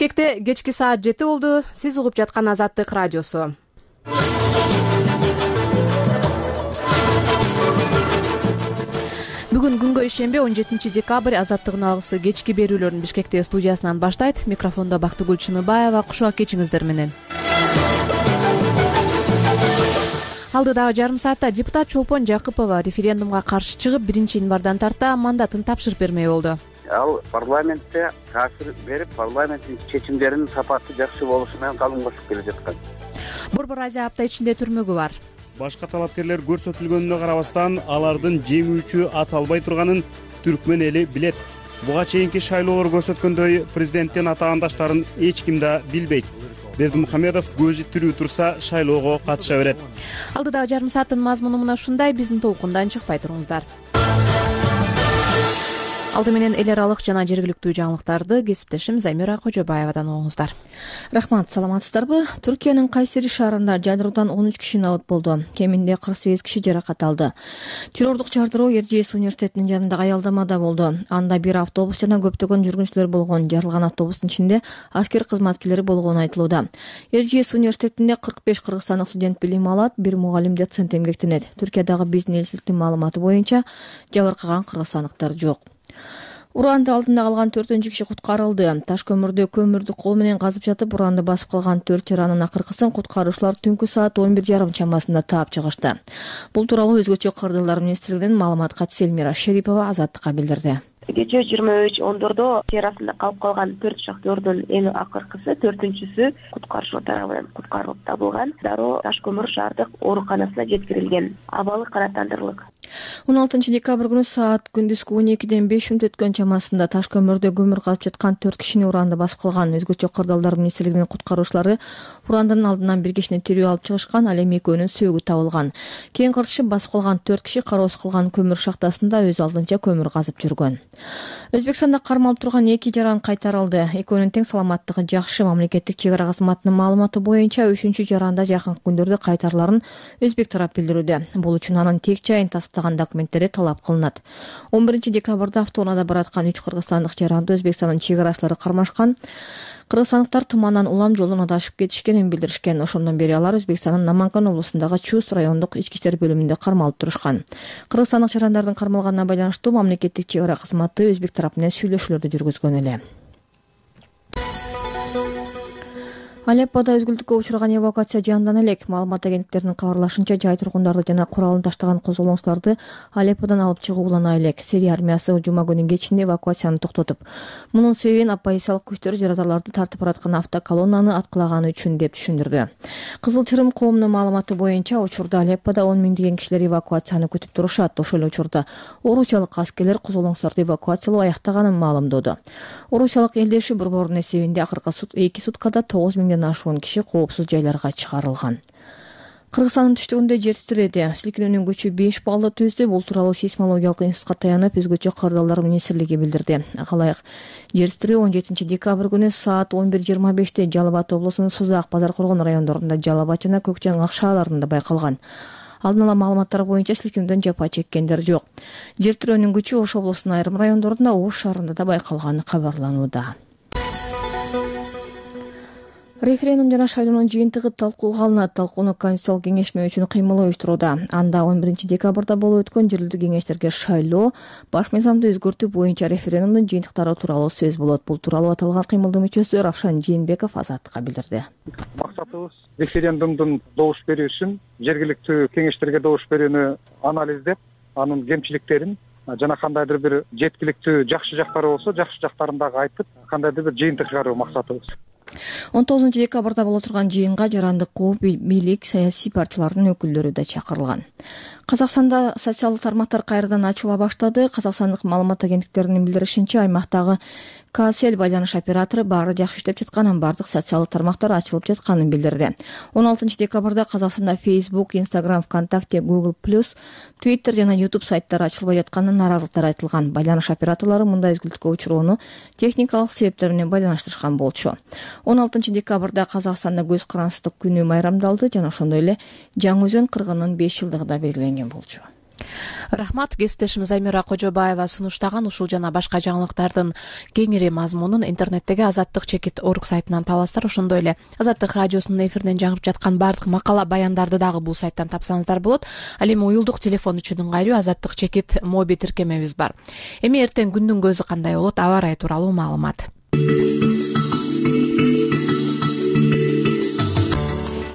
Бишкекте кечки саат 7 болду. Сиз угуп жаткан Азаттык радиосу. Бүгүн күнгө ишембе 17 декабрь Азаттыгын алгысы кечки берүүлөрүн Бишкекте студиясынан баштайт. Микрофондо Бактыгүл Чыныбаева. Кушак кечиңиздер менен. Алдыдагы жарым саатта депутат Чолпон Жакыпова референдумга каршы чыгып, 1-январдан тарта мандатын тапшырып бермей болду. Ал парламентте таасир берип, парламенттин чечимдеринин сапаты жакшы болушу менен калым кошуп келе жаткан. Борбор Азия апта ичинде түрмөгү бар. Башка талапкерлер көрсөтүлгөнүнө карабастан алардын жеңүүчү ата албай турганын түркмөн эли билет. Буга чейинки шайлоолор көрсөткөндөй президенттин атаандаштарын эч ким да билбейт. Бердимухамедов көзү тирүү турса шайлоого катыша берет. Алдыдагы жарым сааттын мазмуну мына ушундай. Биздин толкундан чыкпай туруңуздар. Алды менен эл аралык жана жергиликтүү жаңылыктарды кесиптешим Замира Кожобаевадан угуңуздар. Рахмат, саламатсыздарбы? Түркиянын Кайсери шаарында жардыруудан 13 киши абат болду. Кеминде 48 киши жаракат алды. Террордук жардыруу Эржиес университетинин жанындагы аялдамада болду. Анда бир автобус жана көптөгөн жүргүнчүлөр болгон. Жарылган автобустун ичинде аскер кызматкерлери болгону айтылууда. Эржиес университетинде 45 кыргызстандык студент билим алат, бир мугалим доцент эмгектенет. Түркиядагы биздин элчиликтин маалыматы боюнча жабыркаган кыргызстандыктар жок. Уранды алдында калган 4-киши киши куткарылды. Таш көмүрдү кол менен казып жатып, уранды басып калган 4 жаранын акыркысын куткаруучулар түнкү саат 11:30 чамасында таап чыгышты. Бул тууралуу Өзгөчө кырдырлар министрлигинин маалымат катчысы Элмира Шерипова Азаттыкка билдирди. Кечээ 23:10 жер астында калып калган 4 шахтердин эң акыркысы 4-сү куткаруучулар тарабынан куткарылып табылган. Дароо Таш көмүр шаардык ооруканасына жеткирилген. Абалы канааттандырылган. 16 декабрь күнү саат күндүзгү 12-ден 5 мүнөт өткөн чамасында Таш көмүрдө көмүр казып жаткан 4 кишини уранды басып калган. Өзгөчө кырдалдар министрлигинин куткаруучулары урандын алдынан бир кишини тирүү алып чыгышкан, ал эми экөөнүн сөөгү табылган. Кийин кыртышып басып калган 4 киши кароосуз калган көмүр шахтасында өз алдынча көмүр казып жүргөн. Өзбекстанда кармалып турган 2 жаран кайтарылды. Экөөнүн тең саламаттыгы жакшы. Мамлекеттик чек ара кызматынын маалыматы боюнча 3-чү жаранда жакынкы күндөрдө кайтарыларын Өзбек тарап билдирүүдө. Бул үчүн анын тек жайын тастаган документтери талап кылынат. 11 декабрда автоунаада бараткан 3 кыргызстандык жаранды Өзбекстандын чек арачылары кармашкан. Кыргызстандыктар тумандан улам жолун адашып кетишкенин билдиришкен. Ошондон бери алар Өзбекстандын Наманган облусундагы Чус райондук ички иштер бөлүмүндө кармалып турушкан. Кыргызстандык жарандардын кармалганына байланыштуу мамлекеттик чек ара кызматы Өзбек тарапы менен сүйлөшүүлөрдү жүргүзгөн эле. Алеппода өзгүлтүккө учураган эвакуация жандана элек. Маалымат агенттиктеринин кабарлашынча, жай тургундарды жана куралын таштаган козголоңчуларды Алепподан алып чыгуу улана элек. Сирия армиясы жума күнү кечинде эвакуацияны токтотуп, мунун себебин оппозициялык күчтөр жаратарларды тартып бараткан автоколоннаны аткылаганы үчүн деп түшүндүрдү. Кызыл Чырым коомунун маалыматы боюнча, учурда Алеппода 10 миңдеген кишилер эвакуацияны күтүп турушат. Ошол эле учурда орусиялык аскерлер козголоңчуларды эвакуациялоо аяктаганын маалымдоодо. Орусиялык элдеши борборунун эсебинде акыркы 2 суткада 9 миңден ашуун киши коопсуз жайларга чыгарылган. Кыргызстандын түштүгүндө жер титиреди. Силкинүүнүн күчү 5 баллды түздү. Бул тууралуу сейсмологиялык институтка таянып Өзгөчө кырдалдар министрлиги билдирди. Акалайык жер титирөө 17 декабрь күнү саат 11:25 Жалал Абад облусунун Сузак, Базар Коргон райондорунда, Жалал Абад жана Көкжаңак шаарларында байкалган. Алдын ала маалыматтар боюнча силкинүүдөн жапа чеккендер жок. Жер титирөөнүн күчү Ош облусунун айрым райондорунда, Ош шаарында да байкалганы кабарланууда. Референдум жана шайлоонун жыйынтыгы талкууга алынат. Талкууну Конституциялык кеңешме үчүн кыймыл уюштурууда. Анда 11 декабрда болуп өткөн жергиликтүү кеңештерге шайлоо, баш мыйзамды өзгөртүү боюнча референдумдун жыйынтыктары тууралуу сөз болот. Бул тууралуу аталган кыймылдын мүчөсү Равшан Жээнбеков Азаттыкка билдирди. Максатыбыз референдумдун добуш берүүсүн, жергиликтүү кеңештерге добуш берүүнү анализдеп, анын кемчиликтерин жана кандайдыр бир жеткиликтүү жакшы жактары болсо, жакшы жактарын дагы айтып, кандайдыр бир жыйынтык чыгаруу максатыбыз. 19 декабрда боло турган жыйынга жарандык коом, бийлик, саясий партиялардын өкүлдөрү да чакырылган. Казакстанда социалдык тармактар кайрадан ачыла баштады. Казакстандык маалымат агенттиктеринин билдиришинче, аймактагы КСЛ байланыш оператору баары жакшы иштеп жатканын, бардык социалдык тармактар ачылып жатканын билдирди. 16 декабрда Казакстанда Facebook, Instagram, ВКонтакте, Google+, Twitter жана YouTube сайттары ачылбай жатканын нааразылыктар айтылган. Байланыш операторлору мындай өзгүлтүккө учурууну техникалык себептер менен байланыштырышкан болчу. 16 декабрда Казакстанда көз карансыздык күнү майрамдалды жана ошондой эле Жаңы Өзөн кыргынынын 5 жылдыгы да белгиленген болчу. Рахмат. Кесиптешimiz Аймира Кожобаева сунуштаган ушул жана башка жаңылыктардын кеңири мазмунун интернеттеги Азаттык чекит орг сайтынан табасыздар. Ошондой эле Азаттык радиосунун эфиринен жаңырып жаткан бардык макала баяндарды дагы бул сайттан тапсаңыздар болот. Ал эми уюлдук телефон үчүн ыңгайлуу Азаттык чекит моби тиркемебиз бар. Эми эртең күндүн көзү кандай болот, аба ырайы тууралуу маалымат.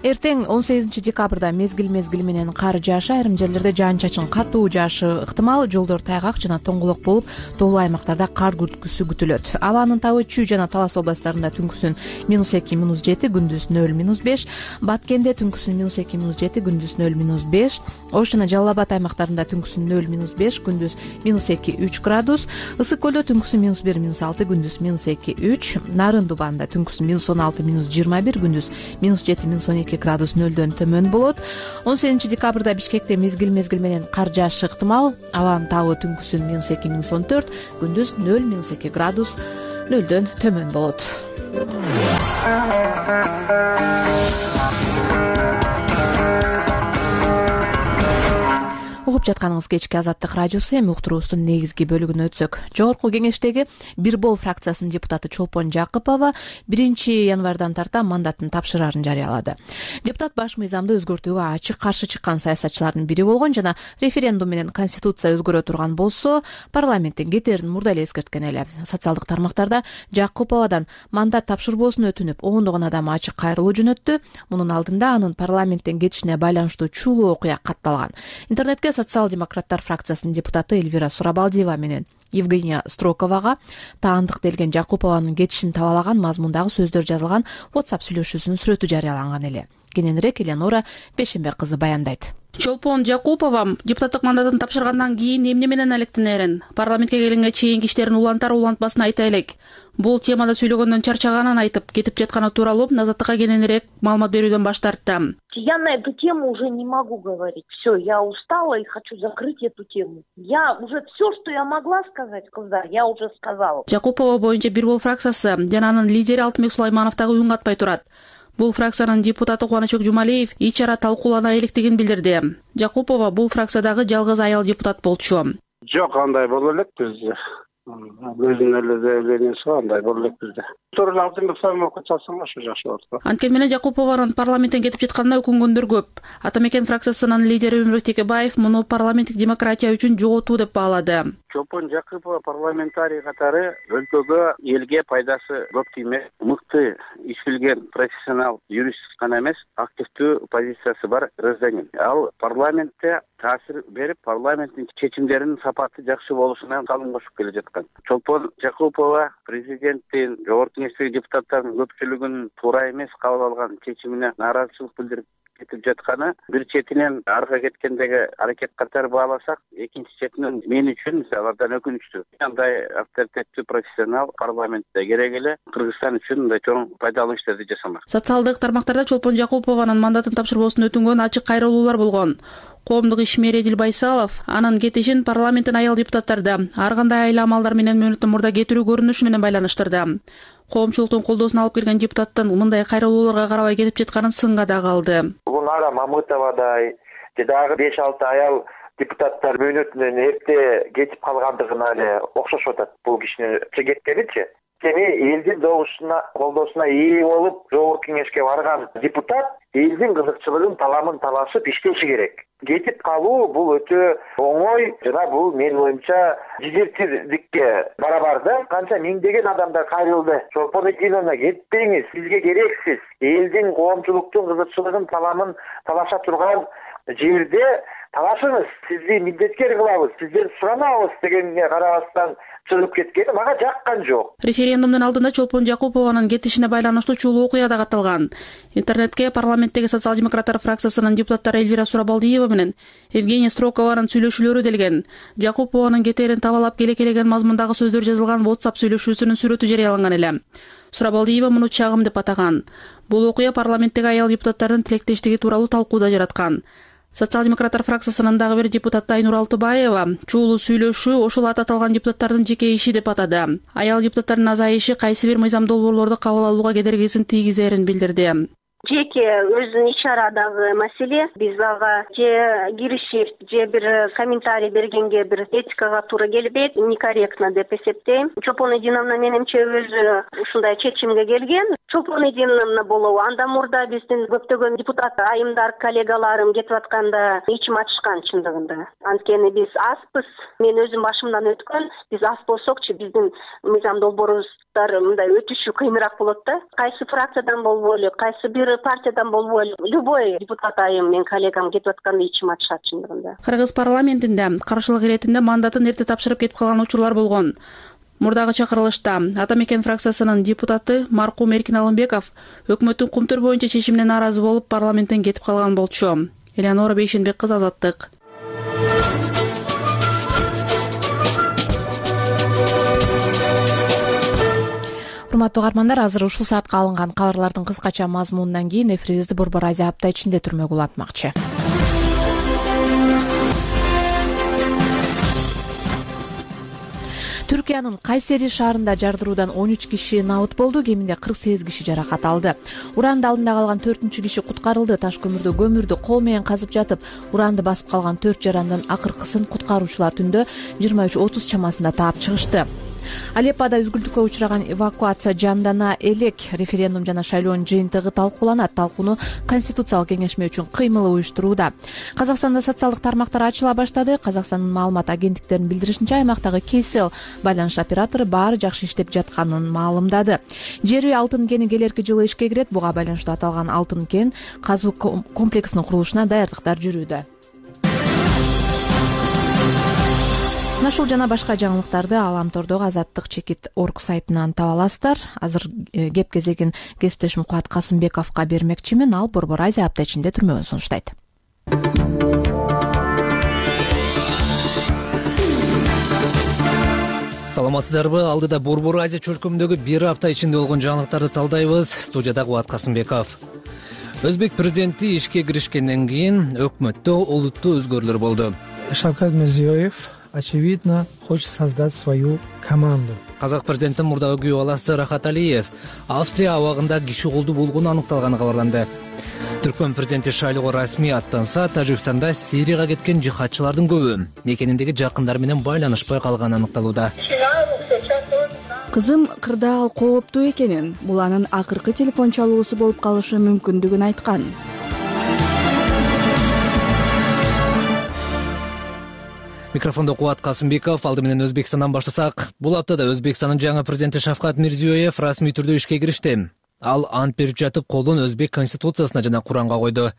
Эртең 18 декабрда мезгил менен кар жаашы, айрым жерлерде жаан-чачын катуу жаашы ыктымал, жолдор тайгак жана тоңголок болуп, тоолуу аймактарда кар күрткүсү күтүлөт. Абанын табы Чүй жана Талас областтарында түнкүсүн -2, -7, күндүз 0-5, Баткенде түнкүсүн -2, -7, күндүз 0-5, Ош жана Жалал Абад аймактарында түнкүсүн 0-5, күндүз -2-3 градус, Ысык көлдө түнкүсүн -1-6, күндүз -2-3, Нарын Дубанда түнкүсүн -16-21, күндүз -7-12 градус нөлдөн төмөн болот. 18 декабрда Бишкекте мезгил менен кар жаашы ыктымал, абанын табы түнкүсүн -2-14, күндүз 0-2 градус нөлдөн төмөн болот. Угуп жатканыңыз кечки Азаттык радиосу. Эми уктуруубуздун негизги бөлүгүнө өтсөк. Жогорку кеңештеги Бир Бол фракциясынын депутаты Чолпон Жакыпова 1 январдан тарта мандатын тапшырарын жарыялады. Депутат баш мыйзамды өзгөртүүгө ачык каршы чыккан саясатчылардын бири болгон жана референдум менен конституция өзгөрө турган болсо, парламенттен кетерин мурда эле эскерткен эле. Социалдык тармактарда Жакыповадан мандат тапшырбоосун өтүнүп, ондогон адам ачык кайрылуу жөнөттү. Мунун алдында анын парламенттен кетишине байланыштуу чулуу окуя катталган. Интернетке социал-демократтар фракциясынын депутаты Эльвира Сурабалдиева менен Евгения Строковага таандык делген Жакупованын кетишин табалаган мазмундагы сөздөр жазылган WhatsApp сүйлөшүүсүнүн сүрөтү жарыяланган эле. Кененирээк Элеонора Бешембек кызы баяндайт. Чолпон Жакупова депутаттык мандатын тапшыргандан кийин эмне менен алектенерин, парламентке келгенге чейинки иштерин улантар улантпасын айта элек. Бул темада сүйлөгөндөн чарчаганын айтып, кетип жатканы тууралуу Азаттыкка кененирээк маалымат берүүдөн баш тартты. Я на эту тему уже не могу говорить. Все, я устала и хочу закрыть эту тему. Я уже все, что я могла сказать, я уже сказала. Жакупова боюнча Бир Бол фракциясы жана анын лидери Алтынбек Сулайманов дагы үн катпай турат. Бул фракциянын депутаты Кубанычбек Жумалиев ичара талкуулана электигин билдирди. Жакупова бул фракциядагы жалгыз аял депутат болчу. Жок, андай боло элек бизде. Өзүнүн эле заявлениясы андай боло элек бизде. Тууралуу Алтынбек Сулаймановго чалсаң ошо жакшы болот. Анткени менен Жакупованын парламенттен кетип жатканына өкүнгөндөр көп. Атамекен фракциясынын лидери Өмүрбек Текебаев муну парламенттик демократия үчүн жоготуу деп баалады. Чолпон Жакыпова парламентарий катары өлкөгө, элге пайдасы көп тиймек, мыкты иш билген профессионал юрист гана эмес, активдүү позициясы бар гражданин. Ал парламентте таасир берип, парламенттин чечимдеринин сапаты жакшы болушуна калың кошуп келе жаткан. Чолпон Жакыпова президенттин, жогорку кеңештеги депутаттардын көпчүлүгүнүн туура эмес кабыл алган чечимине нааразычылык билдирип кетип жатканы бир четинен арга кеткендеги аракет катары бааласак, экинчи четинен мен үчүн алардан өкүнүчтүү. Андай авторитеттүү профессионал парламентте керек эле Кыргызстан үчүн мындай чоң пайдалуу иштерди жасамак. Социалдык тармактарда Чолпон Жакупованын мандатын тапшырбоосун өтүнгөн ачык кайрылуулар болгон. Коомдук ишмери Эдил Байсалов анын кетишин парламенттин аял депутаттарды ар кандай айла амалдар менен мөөнөттөн мурда кетирүү көрүнүшү менен байланыштырды. Коомчулуктун колдоосун алып келген депутаттын мындай кайрылууларга карабай кетип жатканын сынга дагы алды. Гулнара Мамытовадай же дагы 5-6 аял депутаттар мөөнөтүнөн эрте кетип калгандыгына эле окшошуп атат бул кишинин кеткеничи. Эми элдин колдоосуна ээ болуп, жогорку кеңешке барган депутат элдин кызыкчылыгын, таламын талашып иштеши керек. Кетип калуу бул өтө оңой жана бул мен оюмча дезертирдикке барабар да. Канча миңдеген адамдар кайрылды. Чолпон Экиновна, кетпеңиз, сизге керексиз. Элдин коомчулуктун кызыкчылыгын, таламын талаша турган жерде талашыңыз, сизди милдеткер кылабыз, сизден суранабыз дегенге карабастан чыгып кеткени мага жаккан жок. Референдумдун алдында Чолпон Жакупованын кетишине байланыштуу чулуу окуя да катталган. Интернетке парламенттеги социал-демократтар фракциясынын депутаттары Эльвира Сурабалдиева менен Евгения Строкованын сүйлөшүүлөрү делген. Жакупованын кетерин табалап келекелеген мазмундагы сөздөр жазылган WhatsApp сүйлөшүүсүнүн сүрөтү жарыяланган эле. Сурабалдиева муну чагым деп атаган. Бул окуя парламенттеги аял депутаттардын тилектештиги тууралуу талкууда жараткан. Социал-демократтар фракциясынын дагы бир депутаты Айнур Алтыбаева чуулуу сүйлөшүү ошол аты аталган депутаттардын жеке иши деп атады. Аял депутаттардын азайышы кайсы бир мыйзам долбоорлорду кабыл алууга кедергисин тийгизерин билдирди. жеке өзүнүн иш чарадагы маселе. Биз ага же киришип, же бир комментарий бергенге бир этикага туура келбейт, некорректно деп эсептейм. Чолпон Эдиновна менимче өзү ушундай чечимге келген. Чолпон Эдиновна болобу, андан мурда биздин көптөгөн депутат айымдар, коллегаларым кетип атканда ичим ачышкан чындыгында. Анткени биз азбыз. Мен өзүм башымдан өткөн, биз аз болсокчу биздин мыйзам долбоорубуздар мындай өтүшү кыйыныраак болот да. Кайсы фракциядан болбойлу, кайсы бир партиядан болбойлу, любой депутат айым мен коллегам кетип атканда ичим ачышат чындыгында. Кыргыз парламентинде каршылык иретинде мандатын эрте тапшырып кетип калган учурлар болгон. Мурдагы чакырылышта Ата Мекен фракциясынын депутаты маркум Эркин Алымбеков өкмөттүн кумтөр боюнча чечимине нааразы болуп парламенттен кетип калган болчу. Элеонора Бейшенбек кызы, Азаттык. Урматтуу угармандар, азыр ушул саатка алынган кабарлардын кыскача мазмунунан кийин эфирибизди Борбор Азия апта ичинде түрмөгү улантмакчы. Түркиянын Кайсери шаарында жардыруудан 13 киши набыт болду, кеминде 48 киши жаракат алды. Уранды алдында калган 4-чү киши куткарылды. Таш көмүрдө көмүрдү кол менен казып жатып, уранды басып калган 4 жарандын акыркысын куткаруучулар түндө 23:30 чамасында таап чыгышты. Алеппода үзгүлтүккө учураган эвакуация жандана элек. Референдум жана шайлоонун жыйынтыгы талкууланат. Талкууну Конституциялык кеңешме үчүн кыймыл уюштурууда. Казакстанда социалдык тармактар ачыла баштады. Казакстандын маалымат агенттиктеринин билдиришинче, аймактагы Кейсел байланыш оператору баары жакшы иштеп жатканын маалымдады. Жери алтын кени келерки жылы ишке кирет. Буга байланыштуу аталган алтын кен казуу комплексинин курулушуна даярдыктар жүрүүдө. Ушул жана башка жаңылыктарды Аламтордогу Азаттык.org сайтынан таба аласыздар. Азыр кеп кезегин кесиптешим Кубат Касымбековго бермекчимин. Ал Борбор Азия апта ичинде түрмөгүн сунуштайт. Саламатсыздарбы? Алдыда Борбор Азия чөлкөмүндөгү бир апта ичинде болгон жаңылыктарды талдайбыз. Студияда Кубат Касымбеков. Өзбек президенти ишке киришкенден кийин өкмөттө олуттуу өзгөрүүлөр болду. Шавкат Мирзиёев очевидно хочет создать свою команду. Казак президентинин мурдагы күйөө баласы Рахат Алиев Австрия абагында киши колду болгону аныкталганы кабарланды. Түркмөн президенти шайлоого расмий аттанса, Тажикстанда Сирияга кеткен жихадчылардын көбү мекениндеги жакындары менен байланышпай калганы аныкталууда. Кызым кырдаал кооптуу экенин, бул анын акыркы телефон чалуусу болуп калышы мүмкүндүгүн айткан. Микрофондо Кубат Касымбеков. Алды менен Өзбекстандан баштасак, бул аптада Өзбекстандын жаңы президенти Шавкат Мирзиёев расмий түрдө ишке киришти. Ал ант берип жатып, колун Өзбек конституциясына жана Куранга койду.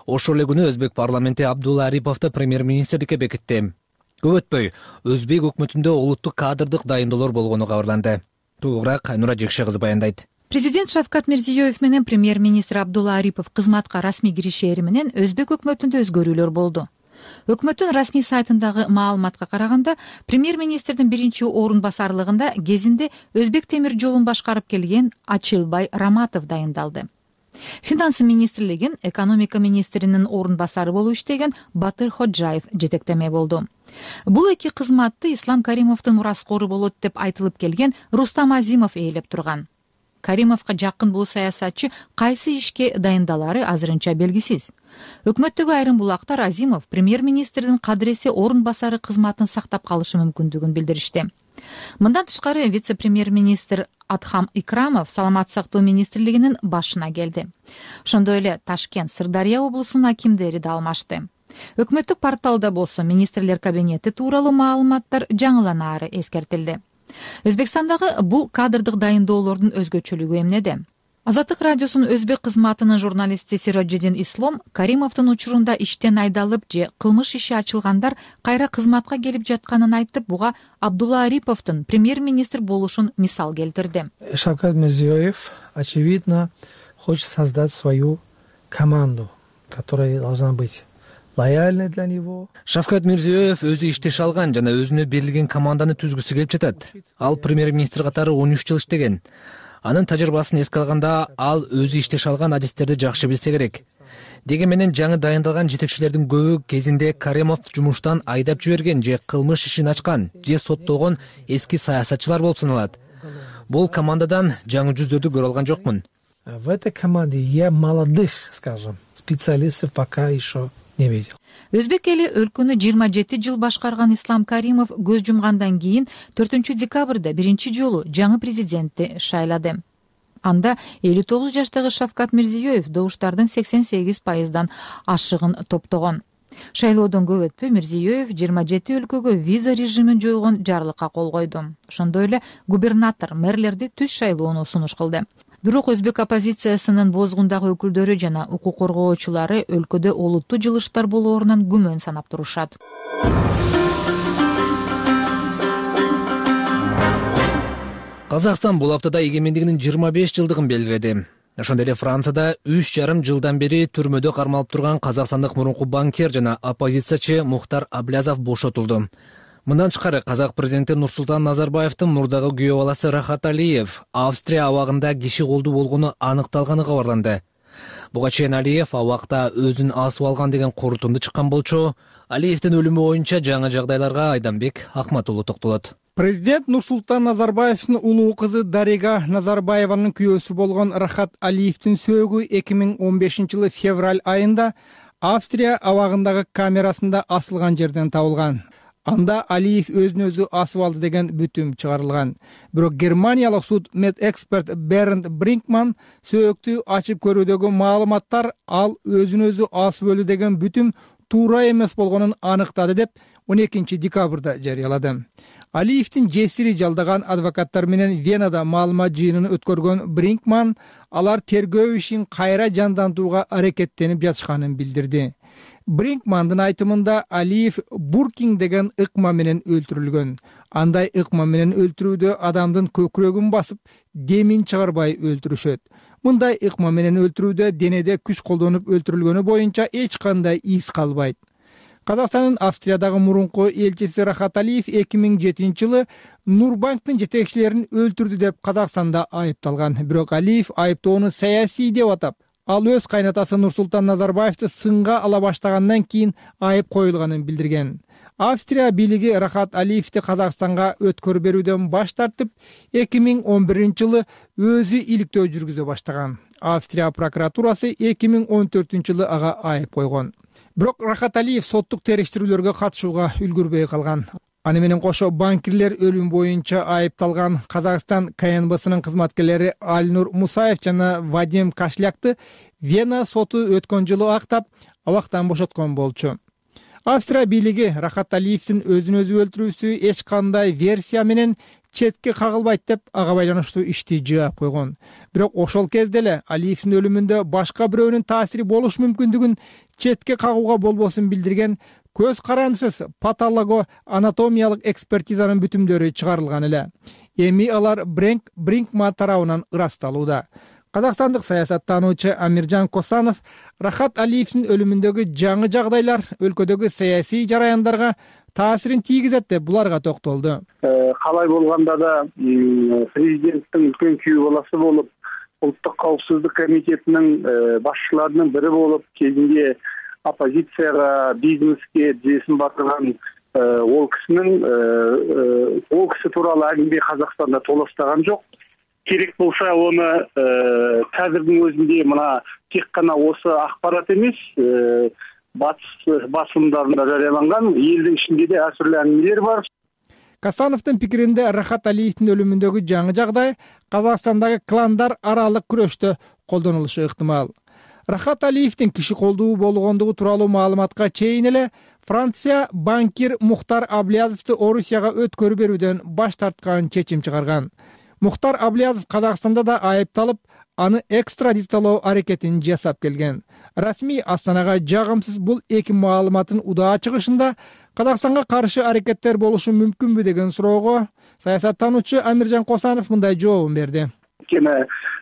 Ошол эле күнү Өзбек парламенти Абдулла Ариповду премьер-министрликке бекитти. Көп өтпөй, Өзбек өкмөтүндө олуттук кадрдык дайындоолор болгону кабарланды. Толугураак Айнура Жекше кызы баяндайт. Президент Шавкат Мирзиёев менен премьер-министр Абдулла Арипов кызматка расмий киришери менен Өзбек өкмөтүндө өзгөрүүлөр болду. Өкмөттүн расмий сайтындагы маалыматка караганда, премьер-министрдин биринчи орун басарлыгында кезинде Өзбек темир жолун башкарып келген Ачылбай Раматов дайындалды. Финансы министрлигин экономика министринин орун басары болуп иштеген Батыр Ходжаев жетектеме болду. Бул эки кызматты Ислам Каримовдун мураскору болот деп айтылып келген Рустам Азимов ээлеп турган. Каримовго жакын бул саясатчы кайсы ишке дайындалары азырынча белгисиз. Өкмөттөгү айрым булактар Азимов премьер-министрдин кадыреси орун басары кызматын сактап калышы мүмкүндүгүн билдиришти. Мындан тышкары вице-премьер-министр Адхам Икрамов саламаттык сактоо министрлигинин башына келди. Ошондой эле Ташкент, Сырдария облусунун акимдери да алмашты. Өкмөттүк порталда болсо министрлер кабинети тууралуу маалыматтар жаңыланаары эскертилди. Өзбекстандагы бул кадрдык дайындоолордун өзгөчөлүгү эмнеде? Азаттык радиосунун өзбек кызматынын журналисти Сироджидин Ислом Каримовдун учурунда иштен айдалып же кылмыш иши ачылгандар кайра кызматка келип жатканын айтып, буга Абдулла Ариповдун премьер-министр болушун мисал келтирди. Шавкат Мирзиёев очевидно хочет создать свою команду, которая должна быть лояльной для него. Шавкат Мирзиёев өзү иштеше алган жана өзүнө берилген команданы түзгүсү келип жатат. Ал премьер-министр катары 13 жыл иштеген. Анын тажрыйбасын эске алганда, ал өзү иштеше алган адистерди жакшы билсе керек. Деген менен жаңы дайындалган жетекчилердин көбү кезинде Каримов жумуштан айдап жиберген же кылмыш ишин ачкан же соттолгон эски саясатчылар болуп саналат. Бул командадан жаңы жүздөрдү көрө алган жокмун. В этой команде я молодых, скажем, специалистов пока еще не видел. Өзбек эли өлкөнү 27 жыл башкарган Ислам Каримов көз жумгандан кийин 4 декабрда биринчи жолу жаңы президентти шайлады. Анда 59 жаштагы Шавкат Мирзиёев добуштардын 88%дан ашыгын топтогон. Шайлоодон көп өтпөй Мирзиёев 27 өлкөгө виза режимин жойгон жарлыкка кол койду. Ошондой эле губернатор, мэрлерди түз шайлоону сунуш кылды. Бирок өзбек оппозициясынын бозгундагы өкүлдөрү жана укук коргоочулары өлкөдө олуттуу жылыштар болоорунан күмөн санап турушат. Казакстан бул аптада эгемендигинин 25 жылдыгын белгиледи. Ошондой эле Францияда 3,5 жылдан бери түрмөдө кармалып турган казакстандык мурунку банкир жана оппозициячы Мухтар Аблязов бошотулду. Мындан тышкары казак президенти Нурсултан Назарбаевдин мурдагы күйөө баласы Рахат Алиев Австрия абагында киши колдуу болгону аныкталганы кабарланды. Буга чейин Алиев абакта өзүн асып алган деген корутунду чыккан болчу. Алиевдин өлүмү боюнча жаңы жагдайларга Айданбек Акматулу токтолот. Президент Нурсултан Назарбаевдин улуу кызы Дарига Назарбаеванын күйөөсү болгон Рахат Алиевдин сөөгү 2015-жылы февраль айында Австрия абагындагы камерасында асылган жерден табылган. Анда Алиев өзүн өзү асып алды деген бүтүм чыгарылган. Бирок германиялык суд медэксперт Бернд Бринкман сөөктү ачып көрүүдөгү маалыматтар ал өзүн өзү асып өлдү деген бүтүм туура эмес болгонун аныктады деп 12 декабрда жарыялады. Алиевдин жесири жалдаган адвокаттар менен Венада маалымат жыйынын өткөргөн Бринкман алар тергөө ишин кайра жандантууга аракеттенип жатышканын билдирди. Бринкмандын айтымында Алиев буркинг деген ыкма менен өлтүрүлгөн. Андай ыкма менен өлтүрүүдө адамдын көкүрөгүн басып, демин чыгарбай өлтүрүшөт. Мындай ыкма менен өлтүрүүдө денеде күч колдонуп өлтүрүлгөнү боюнча эч кандай из калбайт. Казакстандын Австриядагы мурунку элчиси Рахат Алиев 2007-жылы Нурбанктын жетекчилерин өлтүрдү деп Казакстанда айыпталган. Бирок Алиев айыптоону саясий деп атап, ал өз кайнатасы Нурсултан Назарбаевди сынга ала баштагандан кийин айып коюлганын билдирген. Австрия бийлиги Рахат Алиевди Казакстанга өткөрүп берүүдөн баш тартып, 2011-жылы өзү иликтөө жүргүзө баштаган. Австрия прокуратурасы 2014-жылы ага айып койгон. Бирок Рахат Алиев соттук териштирүүлөргө катышууга үлгүрбөй калган. Аны менен кошо банкирлер өлүм боюнча айыпталган Казакстан КНБсынын кызматкерлери Альнур Мусаев жана Вадим Кашлякты Вена соту өткөн жылы актап, абактан бошоткон болчу. Австрия бийлиги Рахат Алиевдин өзүн өзү өлтүрүүсү эч кандай версия менен четке кагылбайт деп ага байланыштуу ишти жаап койгон. Бирок ошол кезде эле Алиевдин өлүмүндө башка бирөөнүн таасири болуш мүмкүндүгүн четке кагууга болбосун билдирген көз карандысыз патолого-анатомиялык экспертизанын бүтүмдөрү чыгарылган эле. Эми алар Бринкман тарабынан ырасталууда. Казакстандык саясаттануучу Амиржан Косанов Рахат Алиевдин өлүмүндөгү жаңы жагдайлар өлкөдөгү саясий жараяндарга таасирин тийгизет деп буларга токтолду. Калай болгондо да президенттин үлкөн күйөө баласы болуп, Улуттук коопсуздук комитетинин башчыларынын бири болуп, кезинде оппозицияга, бизнеске жесин батырган ол киши тууралуу аңгеме Казакстанда толастаган жок. Керек болса оны қазірдің өзінде мына тек қана осы ақпарат емес, батыс басылымдарында жарияланған, елдің ішінде де әртүрлі әңгімелер бар. Касановдун пикиринде Рахат Алиевдин өлүмүндөгү жаңы жагдай Казакстандагы кландар аралык күрөштө колдонулушу ыктымал. Рахат Алиевдин киши колдуу болгондугу тууралуу маалыматка чейин эле Франция банкир Мухтар Аблязовду Орусияга өткөрүп берүүдөн баш тарткан чечим чыгарган. Мухтар Аблязов Казакстанда да айыпталып, аны экстрадициялоо аракетин жасап келген. Расмий Астанага жагымсыз бул эки маалыматтын удаа чыгышында Казакстанга каршы аракеттер болушу мүмкүнбү деген суроого саясаттануучу Амиржан Косанов мындай жообун берди.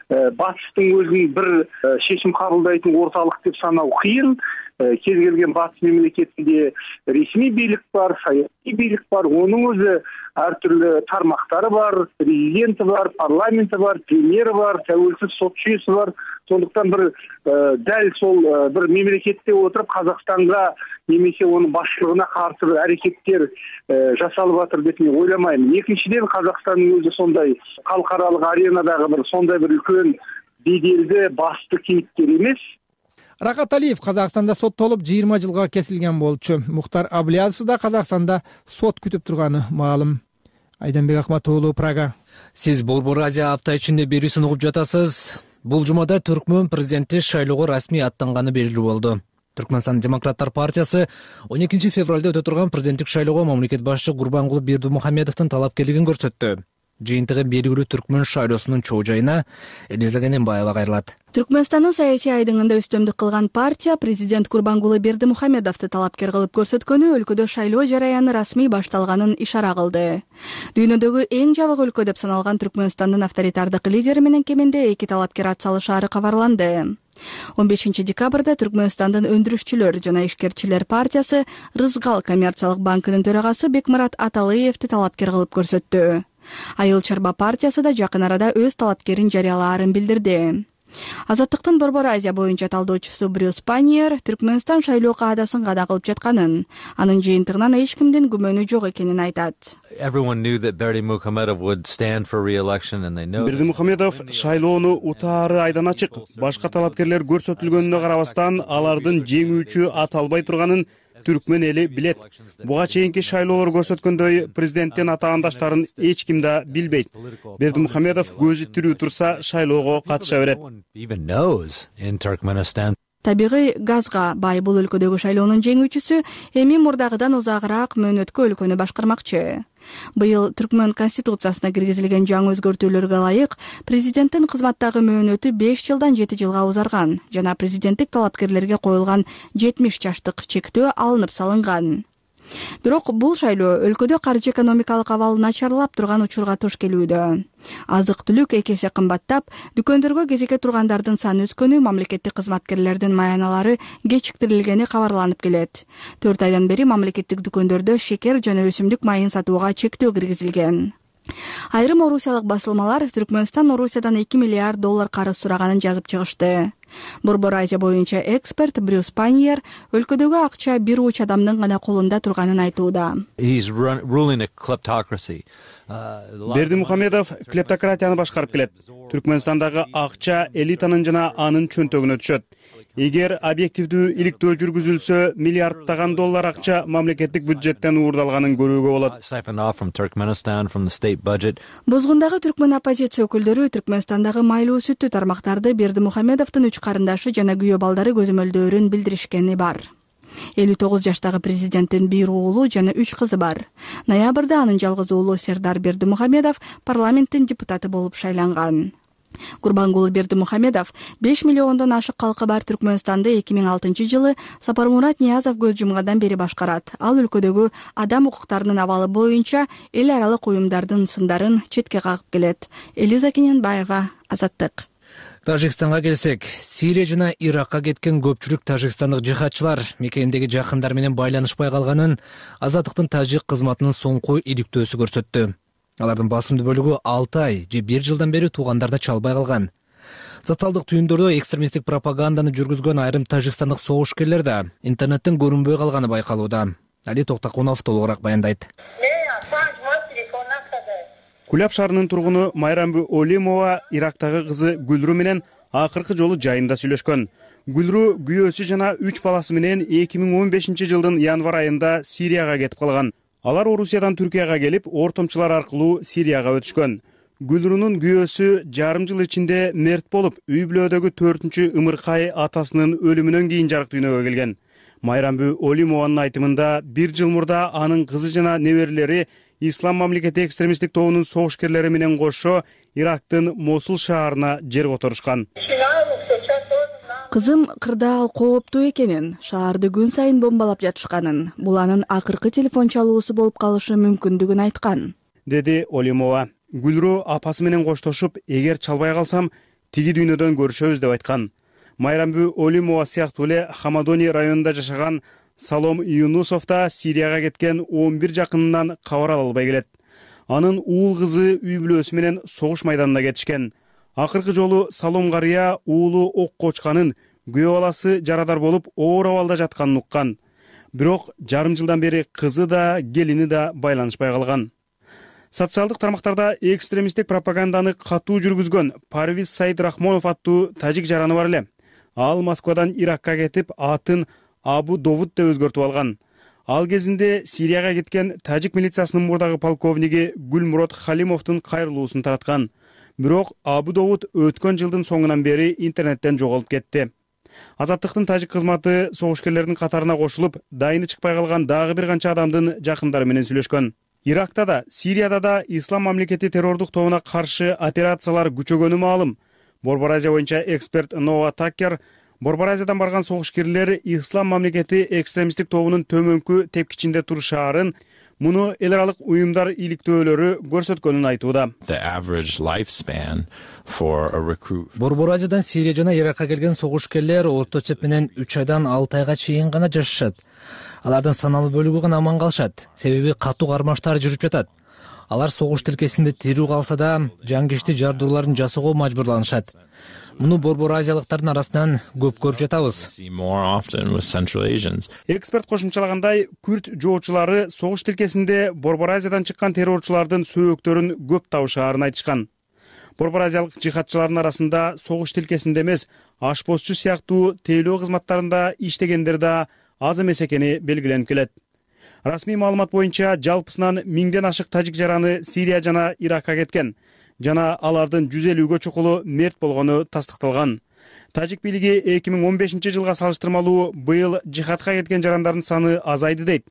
Батыстың өзүн бир шешим кабылдайтын орталык деп санау кыйын. Кез келген батыс мемлекетинде ресми бийлик бар, саясий бийлик бар, онун өзү ар түрлүү тармактары бар, президенти бар, парламенти бар, премьери бар, тәуелсиз сот жүйөсү бар. Сондуктан бир дәл сол бир мемлекетте отуруп Казакстанга немесе онун башчылыгына каршы бир аракеттер жасалып атыр деп мен ойламайм. Экинчиден, Казакстандын өзү сондай калкаралык аренадагы бир сондай бир үлкөн беделди басты кейипкерибиз. Рахат Алиев Казакстанда соттолуп 20 жылга кесилген болчу. Мухтар Аблязов да Казакстанда сот күтүп турганы маалым. Айданбек Акматуулу, Прага. Сиз Борбор Азия апта ичинде берүүсүн угуп жатасыз. Бул жумада Түркмөн президенти шайлоого расмий аттанганы белгилүү болду. Түркмөнстан демократтар партиясы 12 февралда өтө турган президенттик шайлоого мамлекет башчы Гурбангулы Бердимухамедовдун талапкерлигин көрсөттү. Жыйынтыгы белгилүү Түркмөн шайлоосунун чоо жайына Элиза Кененбаева кайрылат. Түркмөнстандын саясий айдыңында үстөмдүк кылган партия президент Гурбангулы Бердимухамедовду талапкер кылып көрсөткөнү өлкөдө шайлоо жараяны расмий башталганын ишара кылды. Дүйнөдөгү эң жабык өлкө деп саналган Түркмөнстандын авторитардык лидери менен кеминде 2 талапкер ат салышаары кабарланды. 15 декабрда Түркмөнстандын өндүрүшчүлөр жана ишкерчилер партиясы Рызгал коммерциялык банкынын төрагасы Бекмурат Аталыевди талапкер кылып көрсөттү. Айыл Чарба партиясы да жакын арада өз талапкерин жарыялаарын билдирди. Азаттыктын Борбор Азия боюнча талдоочусу Брюс Паньер Түркмөнстан шайлоо каадасын када кылып жатканын, анын жыйынтыгынан эч кимдин күмөнү жок экенин айтат. Бердимухамедов шайлоону утаары айдан ачык. Башка талапкерлер көрсөтүлгөнүнө карабастан алардын жеңүүчү ата албай турганын Түркмөн эли билет. Буга чейинки шайлоолор көрсөткөндөй президенттин атаандаштарын эч ким да билбейт. Бердимухамедов көзү тирүү турса шайлоого катыша берет. Табигый газга бай бул өлкөдөгү шайлоонун жеңүүчүсү эми мурдагыдан узагыраак мөөнөткө өлкөнү башкармакчы. Быйыл Түркмөн конституциясына киргизилген жаңы өзгөртүүлөргө ылайык президенттин кызматтагы мөөнөтү 5 жылдан 7 жылга узарган жана президенттик талапкерлерге коюлган 70 жаштык чектөө алынып салынган. Бирок бул шайлоо өлкөдө каржы экономикалык абал начарлап турган учурга туш келүүдө. Азык-түлүк 2 эсе кымбаттап, дүкөндөргө кезекке тургандардын саны өскөнү, мамлекеттик кызматкерлердин маяналары кечиктирилгени кабарланып келет. 4 айдан бери мамлекеттик дүкөндөрдө шекер жана өсүмдүк майын сатууга чектөө киргизилген. Айрым орусиялык басылмалар Түркмөнстан Орусиядан $2 миллиард карыз сураганын жазып чыгышты. Борбор Азия боюнча эксперт Брюс Паньер өлкөдөгү акча бир уч адамдын гана колунда турганын айтууда. Бердимухамедов клептократияны башкарып келет. Түркмөнстандагы акча элитанын жана анын чөнтөгүнө түшөт. Эгер объективдүү иликтөө жүргүзүлсө, миллиардтаган доллар акча мамлекеттик бюджеттен уурдалганын көрүүгө болот. Бозгундагы түркмөн оппозиция өкүлдөрү Түркмөнстандагы майлуу сүттүү тармактарды Бердимухамедовдун 3 карындашы жана күйөө балдары көзөмөлдөөрүн билдиришкени бар. 59 жаштагы президенттин 1 уулу жана 3 кызы бар. Ноябрда анын жалгыз уулу Сердар Бердимухамедов парламенттин депутаты болуп шайланган. Гурбангулы Бердимухамедов 5 миллиондон ашык калкы бар Түркмөнстанды 2006-жылы Сапармурат Ниязов көз жумгандан бери башкарат. Ал өлкөдөгү адам укуктарынын абалы боюнча эл аралык уюмдардын сындарын четке кагып келет. Элиза Кененбаева, Азаттык. Тажикстанга келсек, Сирия жана Иракка кеткен көпчүлүк тажикстандык жихадчылар мекендеги жакындар менен байланышпай калганын Азаттыктын тажик кызматынын соңку иликтөөсү көрсөттү. Алардын басымдуу бөлүгү 6 ай же 1 жылдан бери туугандарына чалбай калган. Социалдык түйүндөрдө экстремисттик пропаганданы жүргүзгөн айрым тажикстандык согушкерлер да интернеттен көрүнбөй калганы байкалууда. Али Токтакунов толугураак баяндайт. Куляб шаарынын тургуну Майрамбү Олимова Ирактагы кызы Гүлрү менен акыркы жолу жайында сүйлөшкөн. Гүлрү күйөөсү жана 3 баласы менен 2015-жылдын январ айында Сирияга кетип калган. Алар Орусиядан Түркияга келип, ортомчулар аркылуу Сирияга өтүшкөн. Гүлрүнүн күйөөсү жарым жыл ичинде мерт болуп, үй бүлөдөгү 4-чү ымыркай атасынын өлүмүнөн кийин жарык дүйнөгө келген. Майрамбү Олимованын айтымында 1 жыл мурда анын кызы жана неберелери Ислам мамлекети экстремисттик тобунун согушкерлери менен кошо Ирактын Мосул шаарына жер которушкан. Кызым кырдаал кооптуу экенин, шаарды күн сайын бомбалап жатышканын, бул анын акыркы телефон чалуусу болуп калышы мүмкүндүгүн айткан, деди Олимова. Гүлрү апасы менен коштошуп, эгер чалбай калсам, тиги дүйнөдөн көрүшөбүз деп айткан. Майрамбү Олимова сыяктуу эле Хамадони районунда жашаган Салом Юнусов да Сирияга кеткен 11 жакынынан кабар ала албай келет. Анын уул кызы үй бүлөсү менен согуш майданына кетишкен. Акыркы жолу Салом карыя уулу окко очканын, күйөө баласы жарадар болуп оор абалда жатканын уккан. Бирок жарым жылдан бери кызы да, келини да байланышпай калган. Социалдык тармактарда экстремисттик пропаганданы катуу жүргүзгөн Парвиз Саид Рахмонов аттуу тажик жараны бар эле. Ал Москвадан Иракка кетип, атын Абу Довуд деп өзгөртүп алган. Ал кезинде Сирияга кеткен тажик милициясынын мурдагы полковниги Гүлмурод Халимовдун кайрылуусун тараткан. Бирок Абу Довуд өткөн жылдын соңунан бери интернеттен жоголуп кетти. Азаттыктын тажик кызматы согушкерлердин катарына кошулуп, дайыны чыкпай калган дагы бир канча адамдын жакындары менен сүйлөшкөн. Иракта да, Сирияда да Ислам мамлекети террордук тобуна каршы операциялар күчөгөнү маалым. Борбор Азия боюнча эксперт Ноа Такер Борбор Азиядан барган согушкерлер Ислам мамлекети экстремисттик тобунун төмөнкү тепкичинде турушаарын, муну эл аралык уюмдар иликтөөлөрү көрсөткөнүн айтууда. Борбор Азиядан Сирия жана Иракка келген согушкерлер орто эсеп менен 3 айдан 6 айга чейин гана жашашат. Алардын саналуу бөлүгү гана аман калышат, себеби катуу кармаштар жүрүп жатат. Алар согуш тилкесинде тирүү калса да, жангичти жардууларын жасоого мажбурланышат. Муну борбор азиялыктардын арасынан көп көрүп жатабыз. Эксперт кошумчалагандай, күрд жоочулары согуш тилкесинде Борбор Азиядан чыккан террорчулардын сөөктөрүн көп табышаарын айтышкан. Борбор азиялык жихадчылардын арасында согуш тилкесинде эмес, ашпозчу сыяктуу тейлөө кызматтарында иштегендер да аз эмес экени белгиленип келет. Расмий маалымат боюнча жалпысынан 1000ден ашык тажик жараны Сирия жана Иракка кеткен жана алардын 150гө чукулу мерт болгону тастыкталган. Тажик бийлиги 2015-жылга салыштырмалуу быйыл жихадка кеткен жарандардын саны азайды дейт.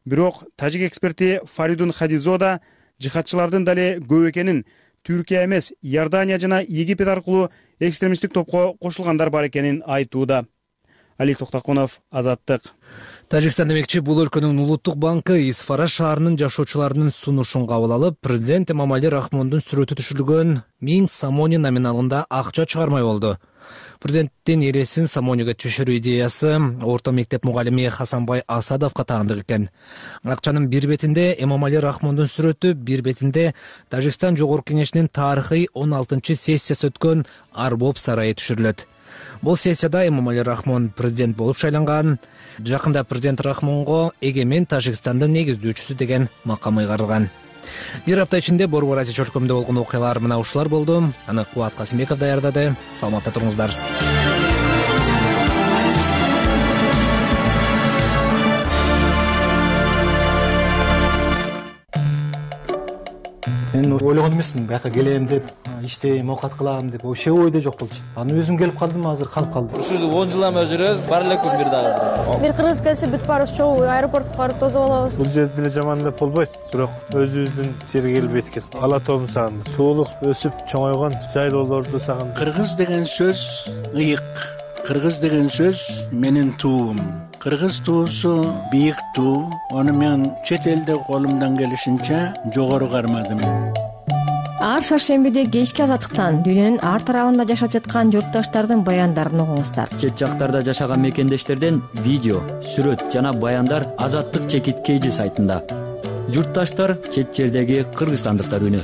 Бирок тажик эксперти Фаридун Хадизода жихадчылардын дале көп экенин, Түркия эмес, Иордания жана Египет аркылуу экстремисттик топко кошулгандар бар экенин айтууда. Алик Токтокунов, Азаттык. Тажикстан демекчи, бул өлкөнүн улуттук банкы Исфара шаарынын жашоочуларынын сунушун кабыл алып, президент Эмомали Рахмондун сүрөтү түшүрүлгөн 1000 самони номиналында акча чыгармай болду. Президенттин эресин самониге түшүрүү идеясы орто мектеп мугалими Хасанбай Асадовго таандык экен. Акчанын бир бетинде Эмомали Рахмондун сүрөтү, бир бетинде Тажикстан Жогорку Кеңешинин тарыхый 16-сессиясы өткөн Арбоб сарайы түшүрүлөт. Бул сессияда Эмомали Рахмон президент болуп шайланган. Жакында президент Рахмонго эгемен Тажикстандын негиздөөчүсү деген макам ыйгарылган. Бир апта ичинде Борбор Азия чөлкөмүндө болгон окуялар мына ушулар болду. Аны Кубат Касымбеков даярдады. Саламатта туруңуздар. Мен ойлогон эмесмин, бияка келем деп, иштейм, оокат кылам деп, вообще ойдо жок болчу. Аны өзүм келип калдым, азыр калып калдым. Ушул 10 жылдан бери жүрөбүз, бар эле күн бир дагы. Бир кыргыз келсе бүт баарыбыз чогуу аэропортко барып тосуп алабыз. Бул жерде деле жаман деп болбойт, бирок өзүбүздүн жерге келип эткен. Ала тообун сагындым. Туулук өсүп чоңойгон жайлоолорду сагындым. Кыргыз деген сөз ыйык. Кыргыз деген сөз менин туум. Кыргыз туусу бийик туу. Аны мен чет элде колумдан келишинче жогору кармадым. Ар шаршембиде кечки Азаттыктан дүйнөнүн ар тарабында жашап жаткан журтташтардын баяндарын угуңуздар. Чет жактарда жашаган мекендештерден видео, сүрөт жана баяндар Азаттык чекит KG сайтында. Журтташтар чет жердеги кыргызстандыктар үнү.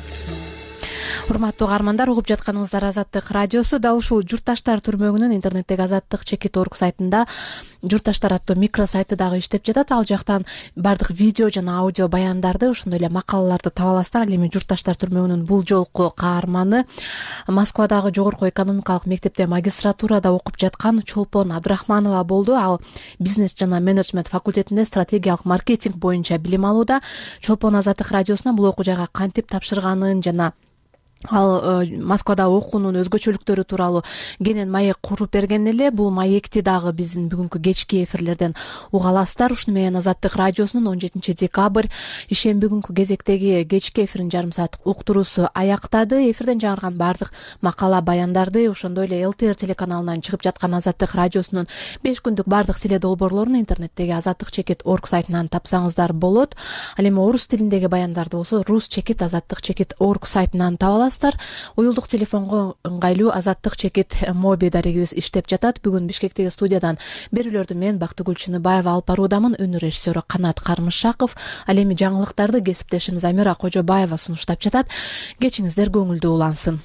Урматтуу каармандар, угуп жатканыңыздар Азаттык радиосу. Дал ушул журтташтар түрмөгүнүн интернеттеги Азаттык чекит.org сайтында журтташтар аттуу микро сайты дагы иштеп жатат. Ал жактан бардык видео жана аудио баяндарды, ошондой эле макалаларды таба аласыздар. Ал эми журтташтар түрмөгүнүн бул жолку каарманы Москвадагы Жогорку экономикалык мектепте магистратурада окуп жаткан Чолпон Абдрахманова болду. Ал бизнес жана менеджмент факультетинде стратегиялык маркетинг боюнча билим алууда. Чолпон Азаттык радиосуна бул окуу жайга кантип тапшырганын жана ал Москвада окуунун өзгөчөлүктөрү тууралуу кенен маек куруп берген эле. Бул маекти дагы биздин бүгүнкү кечки эфирлерден уга аласыздар. Ушуну менен Азаттык радиосунун 17 декабрь ишемби күнкү кезектеги кечки эфирин жарым саат уктуруусу аяктады. Эфирден жаңырган бардык макала баяндарды, ошондой эле ЛТР телеканалынан чыгып жаткан Азаттык радиосунун 5 күндүк бардык теле долбоорлорун интернеттеги Азаттык чекит.org сайтынан тапсаңыздар болот. Ал эми орус тилиндеги баяндарды болсо Рус чекит Азаттык чекит.org сайтынан таба аласыздар. Уюлдук телефонго ыңгайлуу Азаттык чекит моби дарегибиз иштеп жатат. Бүгүн Бишкектеги студиядан берүүлөрдү мен Бактыгүл Чыныбаева алып баруудамын. Үнү режиссеру Канат Кармышаков. Ал эми жаңылыктарды кесиптешим Замира Кожобаева сунуштап жатат. Кечиңиздер көңүлдүү улансын.